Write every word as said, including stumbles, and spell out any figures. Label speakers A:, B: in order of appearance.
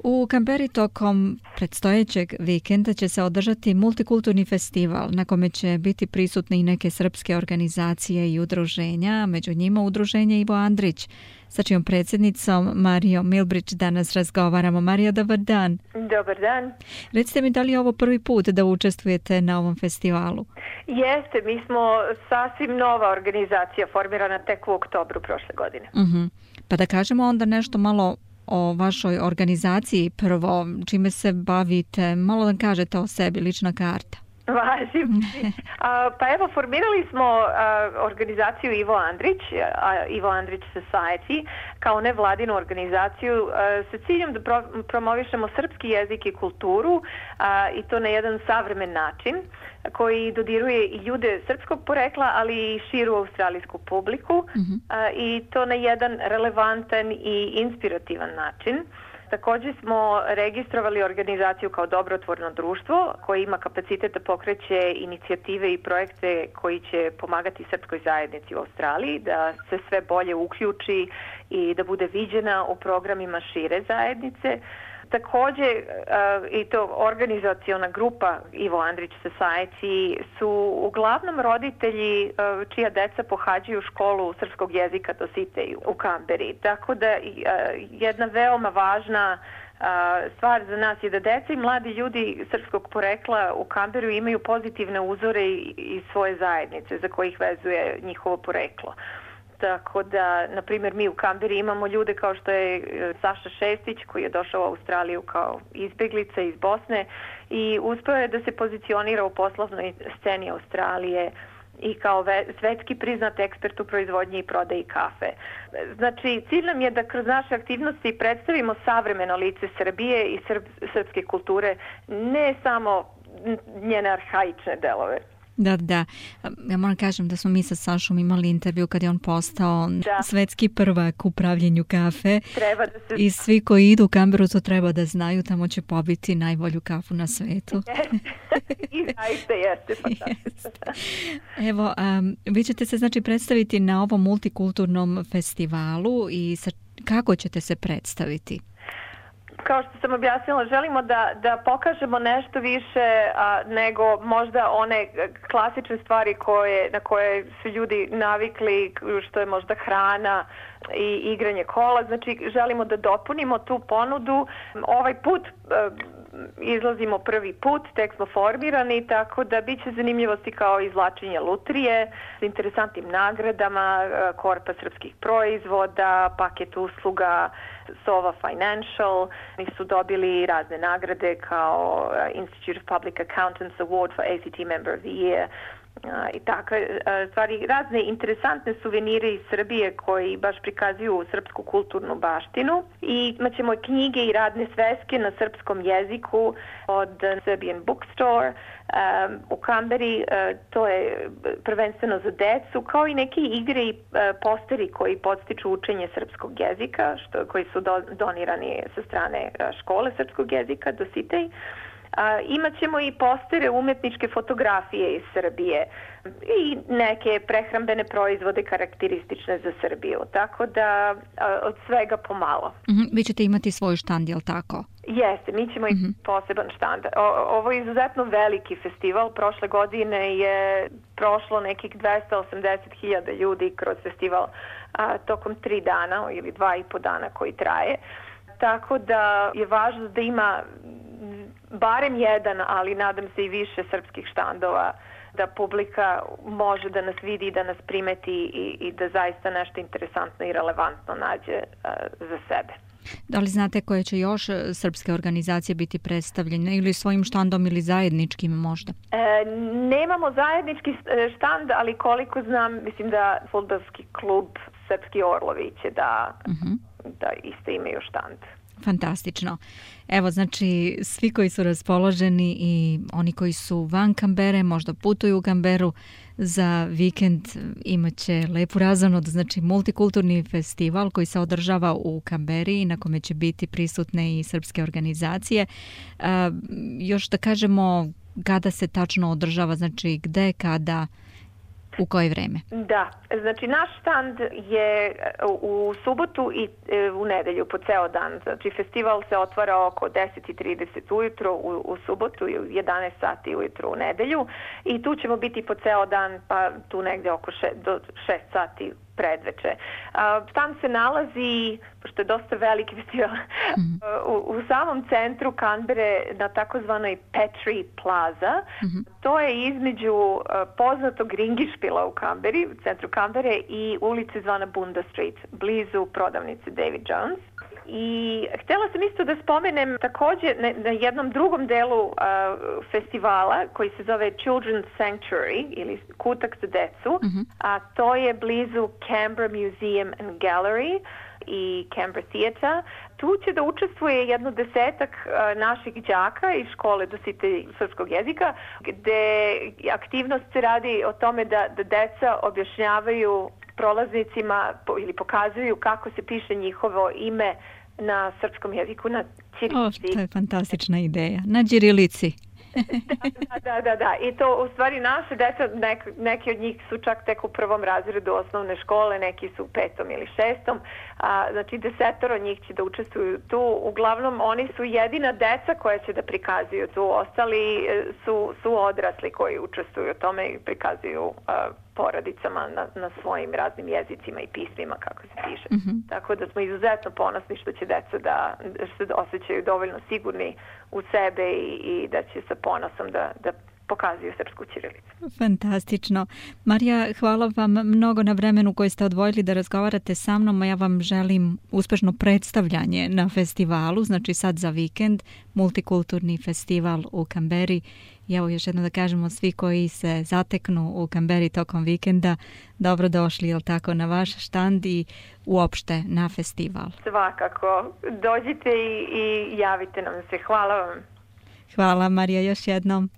A: U Kamberi tokom predstojećeg vikenda će se održati multikulturni festival na kome će biti prisutne i neke srpske organizacije i udruženja, među njima udruženje Ivo Andrić, sa čijom predsjednicom Marijom Milbrić danas razgovaramo. Marija, dobar dan.
B: Dobar dan.
A: Recite mi, da li je ovo prvi put da učestvujete na ovom festivalu?
B: Jeste, mi smo sasvim nova organizacija, formirana tek u oktobru prošle godine.
A: Uh-huh. Pa da kažemo onda nešto malo o vašoj organizaciji prvo, čime se bavite, malo da kažete o sebi, lična karta.
B: Važim. Pa evo, formirali smo a, organizaciju Ivo Andrić, a, Ivo Andrić Society, kao nevladinu organizaciju a, sa ciljem da pro, promovišemo srpski jezik i kulturu a, i to na jedan savremen način koji dodiruje i ljude srpskog porekla, ali i širu australijsku publiku uh-huh. a, i to na jedan relevantan i inspirativan način. Također smo registrovali organizaciju kao dobrotvorno društvo koje ima kapacitet da pokreće inicijative i projekte koji će pomagati srpskoj zajednici u Australiji, da se sve bolje uključi i da bude viđena u programima šire zajednice. Također i to organizaciona grupa Ivo Andrić Society su uglavnom roditelji čija deca pohađaju školu srpskog jezika Dositej u Kamberi. Tako da jedna veoma važna stvar za nas je da deca i mladi ljudi srpskog porekla u Kamberu imaju pozitivne uzore iz svoje zajednice za kojih vezuje njihovo poreklo. Tako da, na primjer, mi u Kamberi imamo ljude kao što je Saša Šestić, koji je došao u Australiju kao izbjeglica iz Bosne i uspio je da se pozicionira u poslovnoj sceni Australije i kao svetski priznat ekspert u proizvodnji i prodaji kafe. Znači, cilj nam je da kroz naše aktivnosti predstavimo savremeno lice Srbije i srp, srpske kulture, ne samo njene arhaične delove.
A: Da, da. Ja moram kažem da smo mi sa Sašom imali intervju kad je on postao da. svetski prvak u pravljenju kafe.
B: Treba da se...
A: I svi koji idu u Kamberu to treba da znaju, tamo će pobiti najbolju kafu na svetu.
B: I zaista jeste fantastično.
A: Evo, um, vi ćete se znači predstaviti na ovom multikulturnom festivalu i sa, kako ćete se predstaviti?
B: Kao što sam objasnila, želimo da, da pokažemo nešto više a, nego možda one klasične stvari koje, na koje su ljudi navikli, što je možda hrana i igranje kola. Znači, želimo da dopunimo tu ponudu. Ovaj put a, izlazimo prvi put, tek smo formirani, tako da bit će zanimljivosti kao izvlačenje lutrije s interesantnim nagradama, korpa srpskih proizvoda, paket usluga Sova Financial. Oni su dobili razne nagrade kao Institute of Public Accountants Award for A C T Member of the Year. Uh, i tako, uh, stvari, razne interesantne suvenire iz Srbije koji baš prikazuju srpsku kulturnu baštinu i imat ćemo knjige i radne sveske na srpskom jeziku od Serbian Bookstore um, u Kamberi. Uh, to je prvenstveno za decu, kao i neke igre i uh, posteri koji podstiču učenje srpskog jezika, što, koji su do, donirani sa strane uh, škole srpskog jezika Dositej. A, imat ćemo i postere umetničke fotografije iz Srbije i neke prehrambene proizvode karakteristične za Srbiju. Tako da a, od svega pomalo.
A: Mm-hmm. Vi ćete imati svoj štand, je li tako?
B: Jeste, mi ćemo mm-hmm. i poseban štand. O, ovo je izuzetno veliki festival. Prošle godine je prošlo nekih dvesta osamdeset hiljada ljudi kroz festival a, tokom tri dana ili dva i po dana koji traje. Tako da je važno da ima barem jedan, ali nadam se i više srpskih štandova, da publika može da nas vidi, da nas primeti i, i da zaista nešto interesantno i relevantno nađe uh, za sebe.
A: Da li znate koje će još srpske organizacije biti predstavljene ili svojim štandom ili zajedničkim možda?
B: E, nemamo zajednički štand, ali koliko znam, mislim da fudbalski klub Srpski Orlovi će da, uh-huh. da isto imaju štand.
A: Fantastično. Evo, znači, svi koji su raspoloženi i oni koji su van Kambere, možda putuju u Kamberu za vikend, imat će lepu razonod, znači multikulturni festival koji se održava u Kamberi i na kome će biti prisutne i srpske organizacije. A, još da kažemo kada se tačno održava, znači gde, kada... U koje vreme?
B: Da, znači naš štand je u subotu i u nedelju po ceo dan. Znači festival se otvara oko deset i trideset ujutro u, u subotu i u jedanaest sati ujutro u nedelju i tu ćemo biti po ceo dan, pa tu negde oko še, do šest sati predveče. Tam se nalazi, pošto je dosta veliki festival, mm-hmm. u, u samom centru Kanbere na takozvanoj Petrie Plaza. Mm-hmm. To je između uh, poznatog ringišpila u Kanberi, u centru Kanbere i ulice zvana Bunda Street, blizu prodavnice David Jones. I htjela sam isto da spomenem također na, na jednom drugom delu uh, festivala koji se zove Children's Sanctuary ili kutak za decu, mm-hmm. a to je blizu Canberra Museum and Gallery i Canberra Theatre. Tu će da učestvuje jedno desetak uh, naših đaka iz škole dositelji srpskog jezika, gde aktivnost se radi o tome da, da deca objašnjavaju prolaznicima ili pokazuju kako se piše njihovo ime na srpskom jeziku, na ćirilici.
A: O, to je fantastična ideja. Na ćirilici.
B: da, da, da, da. I to u stvari naše deca, nek, neki od njih su čak tek u prvom razredu osnovne škole, neki su u petom ili šestom. A, znači desetoro njih će da učestvuju tu. Uglavnom oni su jedina deca koja će da prikazuju tu. Ostali su, su odrasli koji učestvuju u tome i prikazuju a, porodicama na, na svojim raznim jezicima i pismima kako se piše. Mm-hmm. Tako da smo izuzetno ponosni što će deca da, da se osjećaju dovoljno sigurni u sebe i, i da će sa ponosom da, da pokazuju srpsku ćirilicu.
A: Fantastično. Marija, hvala vam mnogo na vremenu koje ste odvojili da razgovarate sa mnom, a ja vam želim uspešno predstavljanje na festivalu, znači sad za vikend, multikulturni festival u Kamberi. I evo još jedno da kažemo, svi koji se zateknu u Kamberi tokom vikenda, dobrodošli, jel tako, na vaš štand i uopšte na festival.
B: Svakako. Dođite i, i javite nam se. Hvala vam.
A: Hvala, Marija, još jednom.